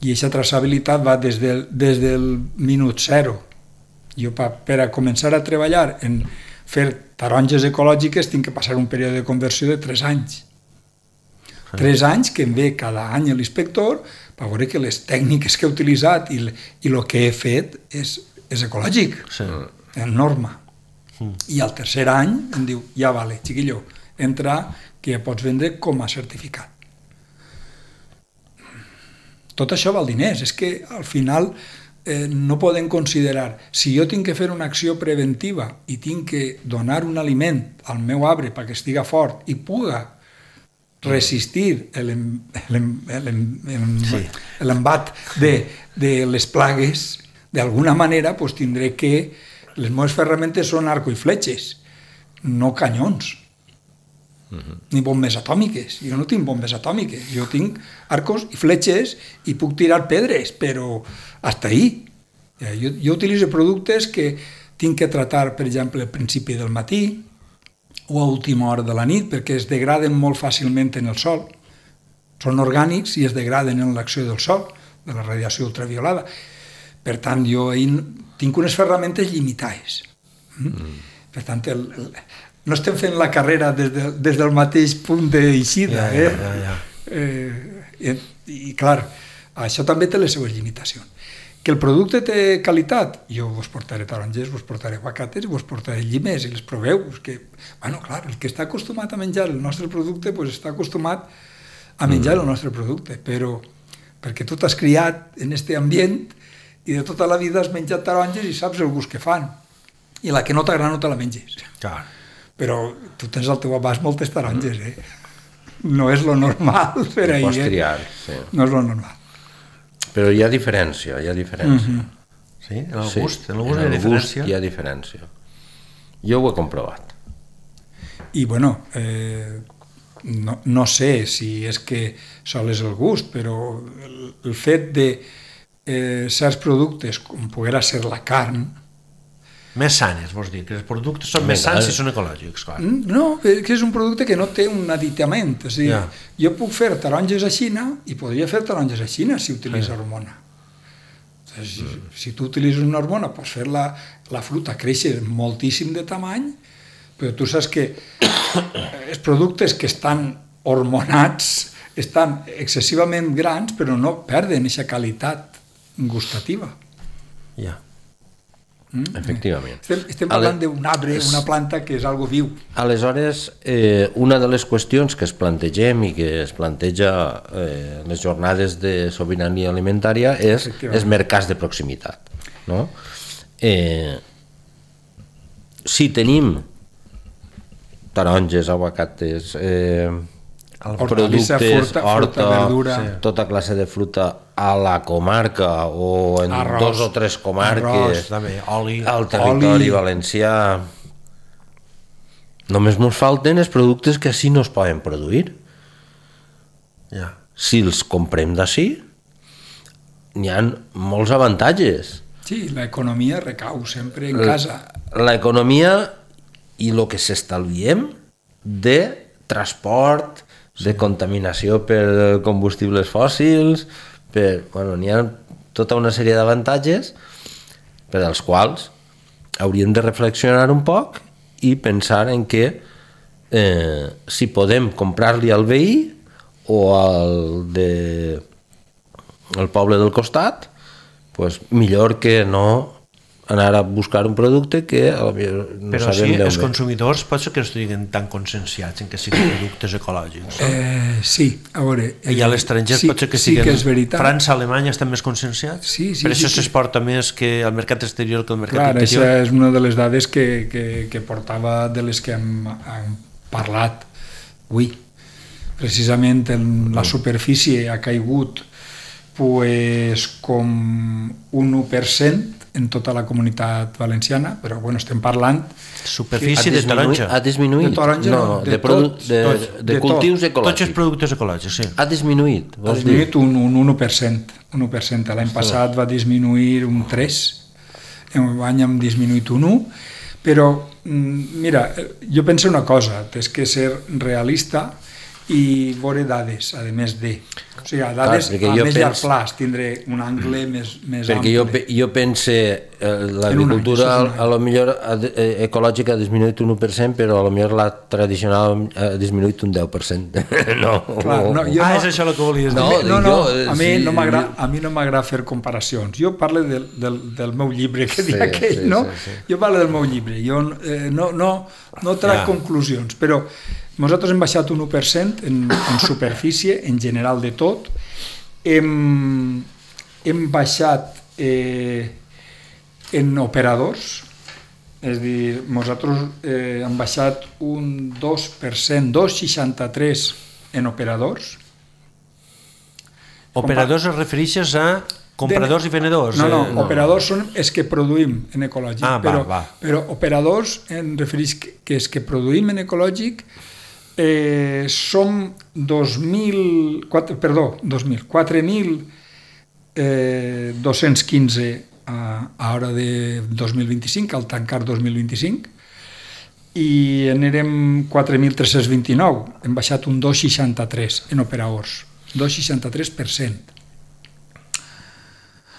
Speaker 3: I aquesta traçabilitat va des del minut zero. Jo, per a començar a treballar en fer taronges ecològiques, tinc que passar un període de conversió de 3 anys. 3 anys que em ve cada any l'inspector per veure que les tècniques que he utilitzat i el que he fet és ecològic, en norma. I al tercer any em diu, ja vale, chiquillo, entra que ja pots vendre com a certificat. Tot això val diners, és que al final no podem considerar, si jo tinc que fer una acció preventiva i tinc que donar un aliment al meu arbre perquè estiga fort i puga resistir l'embat de les plagues, d'alguna manera doncs tindré que les meves ferramentes són arco i fletxes, no canyons, ni bombes atòmiques. Jo no tinc bombes atòmiques, jo tinc arcos i fletxes i puc tirar pedres, però hasta ahí. Jo utilitzo productes que tinc que tratar, per exemple, al principi del matí o a última hora de la nit, perquè es degraden molt fàcilment en el sol. Són orgànics i es degraden en l'acció del sol, de la radiació ultraviolada. Per tant, jo tinc unes ferramentes limitades. Per tant, no estem fent la carrera des del mateix punt d'eixida. I clar, això també té les seues limitacions. Que el producte té qualitat, jo vos portaré taronges, vos portaré aguacates, vos portaré llimes i les proveu. Bueno, clar, el que està acostumat a menjar el nostre producte està acostumat a menjar el nostre producte, però perquè tu t'has criat en aquest ambient i de tota la vida has menjat taronges i saps el gust que fan. I la que no t'agrada no te la menges.
Speaker 2: Clar.
Speaker 3: Però tu tens al teu abast moltes taronges, No és lo normal per ahir.
Speaker 1: Pots triar, sí.
Speaker 3: No és lo normal.
Speaker 1: Però hi ha diferència,
Speaker 2: Sí? En el gust? En el gust hi ha diferència?
Speaker 1: Hi ha diferència. Jo ho he comprovat.
Speaker 3: I, bueno, no sé si és que sol és el gust, però el fet de certs productes, com poguera ser la carn...
Speaker 2: Més sanes, vols dir, que els productes són més sans si són ecològics, clar.
Speaker 3: No, que és un producte que no té un aditament. És a dir, jo puc fer taronges a Xina i podria fer taronges a Xina si utilitzo hormona. Si tu utilitzes una hormona, pots fer la fruita créixer moltíssim de tamany, però tu saps que els productes que estan hormonats estan excessivament grans, però no perden aquesta qualitat gustativa.
Speaker 2: Ja.
Speaker 1: Efectivament.
Speaker 3: Estem parlant d'un arbre, una planta que és algo viu.
Speaker 1: Aleshores, una de les qüestions que es plantegem i que es planteja les jornades de sobirania alimentària és els mercats de proximitat. No? Si tenim taronges, aguacates, productes, horta, verdura, tota classe de fruta a la comarca o en arròs, 2 o 3 comarques,
Speaker 2: també, oli,
Speaker 1: al territori valencià, només ens falten els productes que així no es poden produir. Si els comprem d'ací, n'hi ha molts avantatges.
Speaker 3: Sí, l'economia recau sempre en casa.
Speaker 1: L'economia i el que s'estalviem de transport, de contaminació per combustibles fòssils, n'hi ha tota una sèrie d'avantatges per als quals hauríem de reflexionar un poc i pensar en que si podem comprar-li al veí o al poble del costat, millor que no anar a buscar un producte que potser no
Speaker 2: Però
Speaker 1: sabem
Speaker 2: sí,
Speaker 1: d'on
Speaker 2: els
Speaker 1: ve.
Speaker 2: consumidors pot ser que no estiguin tan conscienciats en que siguin productes ecològics.
Speaker 3: Sí, a veure...
Speaker 2: I a l'estranger pot ser que
Speaker 3: sí
Speaker 2: siguin...
Speaker 3: que és veritat.
Speaker 2: França, Alemanya estan més conscienciats?
Speaker 3: Sí,
Speaker 2: Per això s'exporta més que al mercat exterior que al mercat
Speaker 3: Clar,
Speaker 2: interior?
Speaker 3: això és una de les dades que portava, de les que hem parlat avui. Precisament la superfície ha caigut pues, com un 1% en tota la comunitat valenciana, però bueno, estem parlant...
Speaker 2: Superfície de taronja.
Speaker 1: Ha disminuït?
Speaker 3: De taronja no,
Speaker 1: de cultius
Speaker 2: Tots els
Speaker 1: ecològics.
Speaker 2: productes ecològics, sí.
Speaker 1: Ha disminuït,
Speaker 3: Ha
Speaker 1: vols dir?
Speaker 3: disminuït un 1%. Un 1%. L'any passat va disminuir un 3%, enguany hem disminuït un 1%, però mira, jo penso una cosa, és que ser realista i veure dades, a més de... O sigui, dades a més llarg plaç, tindré un angle més
Speaker 1: perquè
Speaker 3: ample.
Speaker 1: jo pense l'agricultura a lo millor ecològica ha disminuït un 1%, però a lo millor la tradicional ha disminuït un 10%. No.
Speaker 3: Clar, no,
Speaker 2: és això el que volies dir.
Speaker 3: No, a mi no m'agrada fer comparacions. Jo parlo del meu llibre, que dic aquell, no? Jo parlo del meu llibre, jo no trac conclusions, però nosaltres hem baixat un 1% en superfície, en general de tot. Hem baixat en operadors, és a dir, nosaltres hem baixat un 2%, 2,63% en operadors.
Speaker 2: Operadors es refereixes a compradors i venedors?
Speaker 3: No, operadors són els que produïm en ecològic, però operadors em refereix que els que produïm en ecològic som 4.215 a hora de 2025, al tancar 2025, i n'érem 4.329, hem baixat un 2,63 en operadors, 2,63%.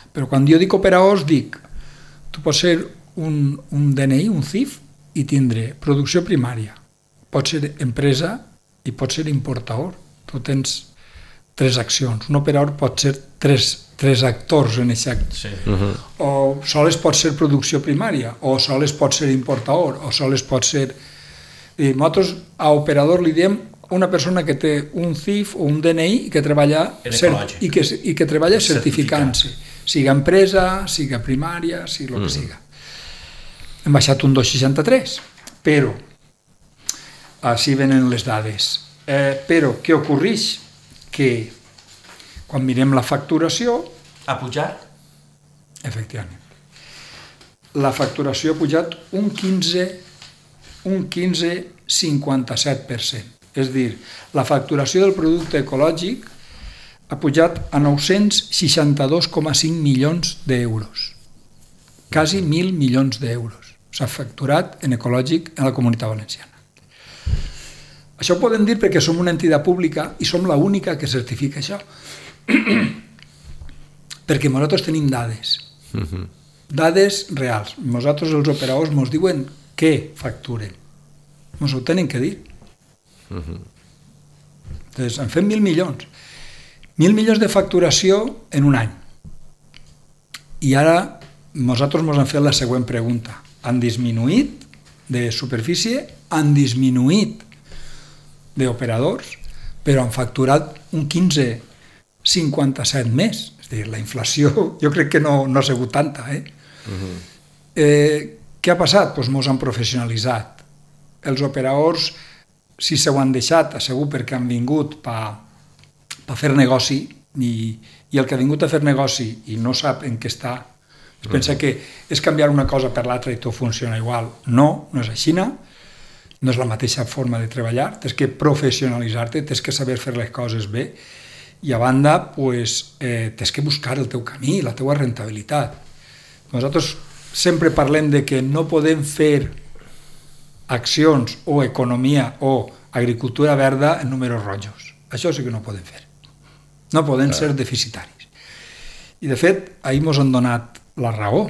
Speaker 3: Però quan jo dic operadors, dic, tu pots ser un DNI, un CIF, i tindre producció primària, pot ser empresa i pot ser importador. Tu tens 3 accions. Un operador pot ser 3 actors en aquest acte. Sí. O sols pot ser producció primària, o sols pot ser importador, o sols pot ser... I nosaltres a operador li diem una persona que té un CIF o un DNI i que treballa certificant-se, siga empresa, siga primària, sigui el que siga. Hem baixat un 2,63, però així venen les dades. Però què ocorreix? Que quan mirem la facturació...
Speaker 2: Ha pujat?
Speaker 3: Efectivament. La facturació ha pujat un 15,57%. És a dir, la facturació del producte ecològic ha pujat a 962,5 milions d'euros. Quasi 1.000 milions d'euros s'ha facturat en ecològic en la Comunitat Valenciana. Això ho podem dir perquè som una entitat pública i som l'única que certifica això. Perquè nosaltres tenim dades. Dades reals. Nosaltres els operadors ens diuen què facturen. Ens ho tenen que dir. Entonces, en fem 1.000 milions. 1.000 milions de facturació en un any. I ara nosaltres ens han fet la següent pregunta. Han disminuït de superfície, han disminuït d'operadors, però han facturat un 15,57 més. És a dir, la inflació jo crec que no ha sigut tanta. Què ha passat? Doncs ens han professionalitzat. Els operadors, si s'ho han deixat, segur perquè han vingut per fer negoci, i el que ha vingut a fer negoci i no sap en què està, es pensa que és canviar una cosa per l'altra i tot funciona igual. No és així, no és la mateixa forma de treballar, tens que professionalitzar-te, tens que saber fer les coses bé, i a banda tens que buscar el teu camí, la teua rentabilitat. Nosaltres sempre parlem de que no podem fer accions o economia o agricultura verda en números rojos. Això sí que no podem fer. No podem ser deficitaris. I de fet, ahir ens han donat la raó.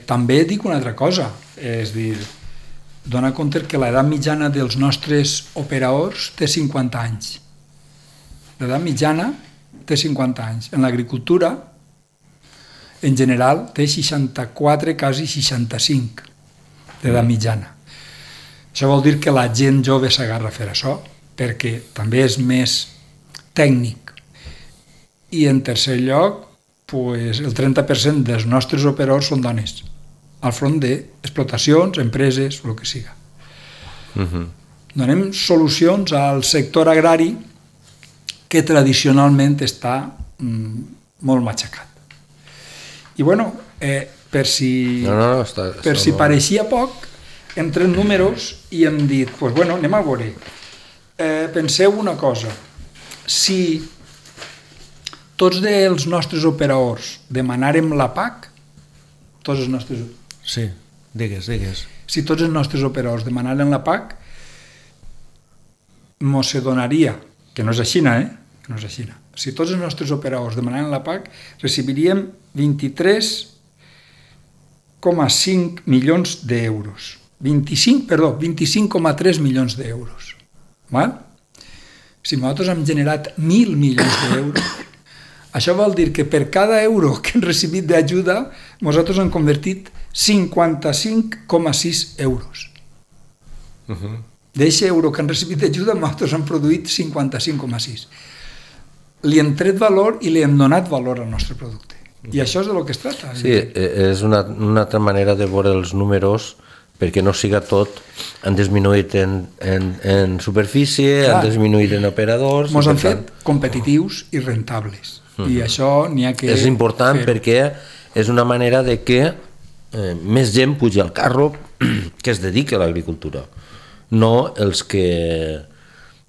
Speaker 3: També dic una altra cosa, és dir, dona compte que l'edat mitjana dels nostres operadors té 50 anys. L'edat mitjana té 50 anys. En l'agricultura en general té 64, quasi 65 d'edat mitjana. Això vol dir que la gent jove s'agarra a fer això, perquè també és més tècnic. I en tercer lloc, pues, el 30% dels nostres operadors són dones, al front d'explotacions, empreses, el que siga. Donem solucions al sector agrari que tradicionalment està molt matxacat. I bueno, per si pareixia poc, hem tret números i hem dit, pues bueno, anem a veure. Penseu una cosa, si tots els nostres operadors demanàrem la PAC, tots els nostres...
Speaker 2: Sí, digues.
Speaker 3: Si tots els nostres operadors demanaren la PAC, mos se donaria, que no és a Xina, que no és a Xina. Si tots els nostres operadors demanaren la PAC, recibiríem 23,5 milions d'euros. 25,3 milions d'euros. Si nosaltres hem generat 1.000 milions d'euros, això vol dir que per cada euro que hem recibit d'ajuda, nosaltres hem convertit 55,6 euros. D'aquest euro que han recibit d'ajuda, nosaltres hem produït 55,6. Li hem tret valor i li hem donat valor al nostre producte. I això és del que es tracta.
Speaker 1: Sí, és una altra manera de veure els números, perquè no siga tot, han disminuït en superfície, han disminuït en operadors...
Speaker 3: Ens han fet competitius i rentables. I això n'hi ha que...
Speaker 1: És important perquè és una manera de que més gent pugi al carro que es dediqui a l'agricultura, no els que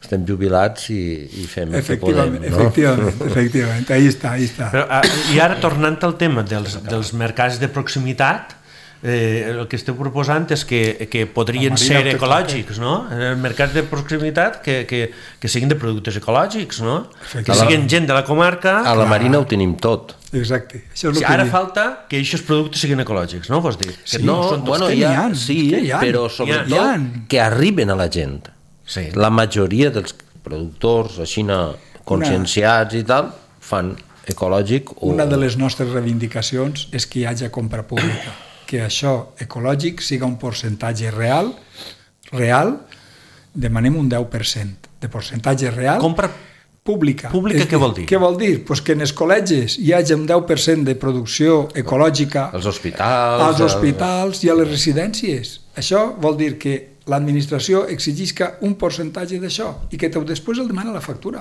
Speaker 1: estem jubilats i fem el que podem.
Speaker 3: Efectivament, ahí està.
Speaker 2: Però, i ara, tornant al tema dels mercats de proximitat, el que esteu proposant és que podrien ser ecològics, no? Mercats de proximitat que siguin de productes ecològics, no? Que siguin gent de la comarca...
Speaker 1: A la Marina ho tenim tot.
Speaker 3: Exacte.
Speaker 2: Ara falta que aquests productes siguin ecològics, no? Vols dir?
Speaker 1: Però sobretot que arriben a la gent. La majoria dels productors així conscienciats i tal fan ecològic.
Speaker 3: Una de les nostres reivindicacions és que hi hagi compra pública, que això ecològic siga un percentatge real, demanem un 10% de percentatge real.
Speaker 2: Compra
Speaker 3: pública.
Speaker 2: Pública què vol dir?
Speaker 3: Què vol dir? Pues que en els col·legis hi hagi un 10% de producció ecològica
Speaker 1: als hospitals
Speaker 3: i a les residències. Això vol dir que l'administració exigisca un percentatge d'això i que després el demana la factura.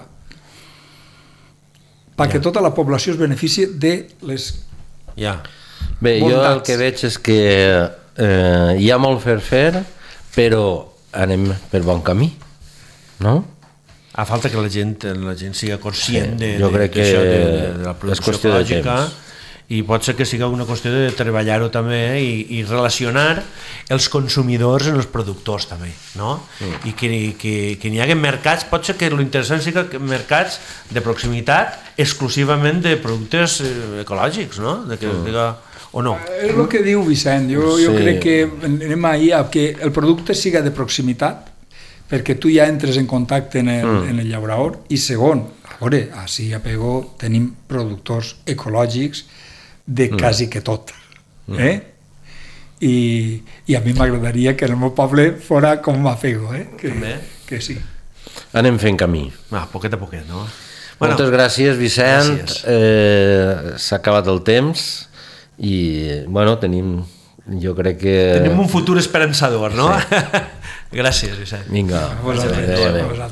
Speaker 3: Perquè tota la població es beneficia de les...
Speaker 1: Bé, jo el que veig és que hi ha molt fer, però anem per bon camí, no?
Speaker 2: A falta que la gent siga conscient de la producció
Speaker 1: ecològica,
Speaker 2: i pot ser que siga una qüestió de treballar-ho també i relacionar els consumidors amb els productors també, no? I que n'hi hagi mercats, pot ser que l'interessant siga mercats de proximitat exclusivament de productes ecològics, no? O no?
Speaker 3: És el que diu Vicent, jo crec que anem a que el producte siga de proximitat, perquè tu ja entres en contacte en el llaurador, i segon, a veure, així a Pego tenim productors ecològics de quasi que tot, i a mi m'agradaria que el meu poble fora com a Pego, que sí.
Speaker 1: Anem fent camí.
Speaker 2: Poquet a poquet, no?
Speaker 1: Moltes gràcies, Vicent. S'ha acabat el temps i, bueno, jo crec que...
Speaker 2: Tenim un futur esperançador, no? Gràcies, Vicent.
Speaker 1: Vinga.
Speaker 3: A vosaltres.